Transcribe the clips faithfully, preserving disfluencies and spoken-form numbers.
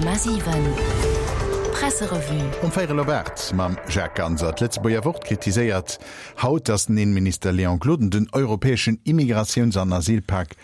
Komma siwen Presserevue. Um véierel op aacht mam Jacques Ganser. D'Lëtzebuerger Wort kritiséiert haut, datt den Innenminister Léon Gloden den europäeschen Immigratiouns an Asylpak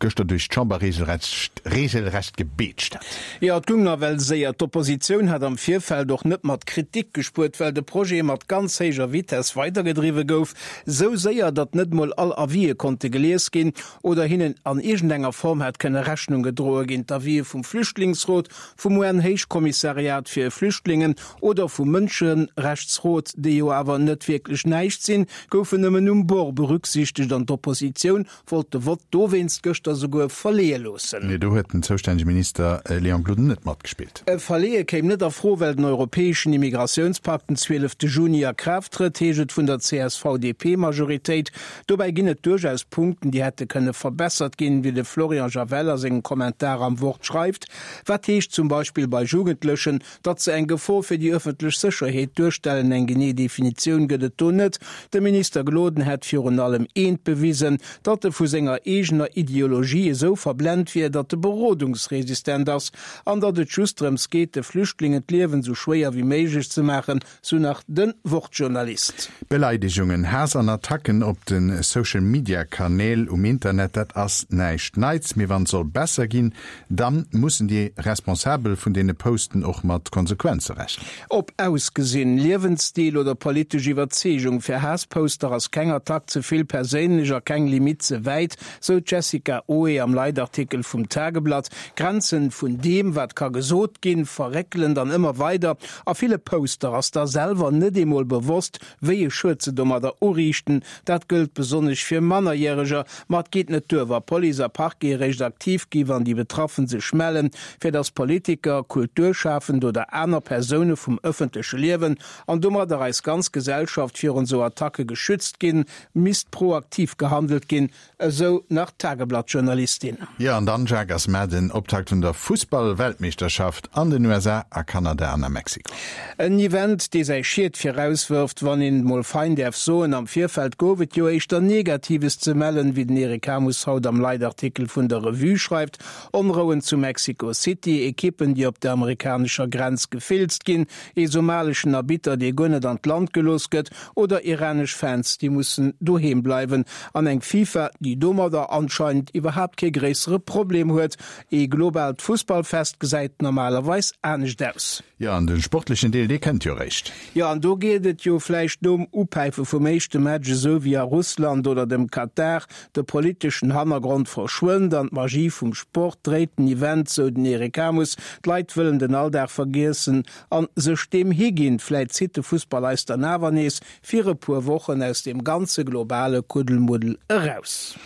gëschter duerch d'Chamber regelrecht regelrecht gebeetscht hat. Jo, et goung nawell séier. D'Oppositioun hat am Virfeld och net mat Kritik gespuert, well de Projet mat ganz héijer Vitess weidergedriwwe gouf. Sou séier, datt net mol all Avisë konnte gelies ginn oder hinnen an iergendenger Form hätt kënne Rechnung gedroe ginn. D'Avisë vum Flüchtlingsrot, vum U N-Héichkommissariat fir Flüchtlingen oder vum Mënscherechtsrot, déi jo awer net wierklech näischt sinn, goufen nëmmen um Bord berücksichtegt an d'Oppositioun wollt de Vott dowéinst gëschter souguer verleeë loossen. Nee, do huet den zoustännege Minister Léon Gloden net matgespillt. E Verleeë kéim net a Fro, well den europäeschen Immigratiounspakt den zwielefte Juni a Kraaft trëtt, heescht et vun der C S V D P-Majoritéit. Dobäi ginn et duerchaus Punkten, déi hätte kënne verbessert ginn, wéi de Florian Javel a sengem Kommentar am Wort schreift. Wat heescht zum Beispill bei Jugendlechen, datt se eng Gefor fir déi ëffentlech Sécherheet duerstellen? Eng genee Definitioun gëtt et do net. De Minister Gloden hätt virun allem eent bewisen, datt e vu senger eegener Ideologie esou verblent wier, datt e berodungsresistent ass an datt et just drëms geet, de Flüchtlingen d'Liewen esou schwéier wéi méiglech ze maachen, sou nach de Wort-Journalist. Beleidegungen, Haass an Attacken op de Social Media Kanäl um Internet, dat ass näischt Neits. Mee wann et soll besser ginn, da mussen déi Responsabel vun deene Posten och mat Konsequenze rechnen. Ob Ausgesinn, Liewensstil oder politesch Iwwerzeegung, fir Haassposter ass keng Attack ze vill perséinlech a keng Limitt ze wäit, sou d'Jessica Oe am Leitartikel vum Tageblatt. D'Grenzen vun deem, wat ka gesot ginn, verréckelen dann ëmmer weider. A ville Poster ass da selwer net eemol bewosst, wéi e Schued se domadder uriichten. Dat gëllt besonnesch fir Mannerjäreger. Ma et geet net duer, wa Police a Parquet eréischt aktiv gi wann déi Betraffen sech mellen. Fir datt Politiker, Kulturschafend oder aner Persoune vum ëffentleche Liewen an domadder eis ganz Gesellschaft virun esou Attacke geschützt ginn, misst proaktiv gehandelt ginn, esou nach d'Tageblatt-Journalistin. Jo, an dann, Jacques, ass mar den Optakt vun der Fussball-Weltmeeschterschaft an den U S A, a Kanada an a Mexiko. En Event, dee säi Schied virauswërft, wann een et mol fein däerf soen. Am Virfeld gouf et jo éischter Negatives ze mellen, wéi den Eric Hamus haut am Leitartikel vun der Revue schreift. Onrouen zu Mexico City, Ekippen, déi op der amerikanescher Grenz gefilzt ginn, ee somaleschen Arbitter, dee guer net an d'Land gelooss gëtt, oder iranesch Fans, déi mussen doheem bleiwen. An eng FIFA, déi domadder anscheinend iwwerhaapt kee gréissere Problem huet. Ee globaalt Fussballfest gesäit normalerweis anescht aus. Jo, an de sportlechen Deel, dee kënnt jo réischt. Jo, an do geet et jo vläicht nom Upäife vum éischte Match esou wéi a Russland oder dem Katar, de politeschen Hannergrond verschwënnt an d'Magie vum Sport dréit den Event, sou den Eric Hamus. D'Leit wëllen den Alldag vergiessen a sech deem higinn. Vläit zitt de Fussball eis dann awer nees fir e puer Wochen aus deem ganze globale Kuddelmuddel eraus.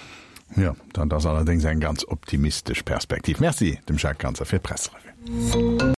Jo, dat ass allerdéngs eng ganz optimistesch Perspektiv. Merci dem Jacques Ganser fir d'Presserevue.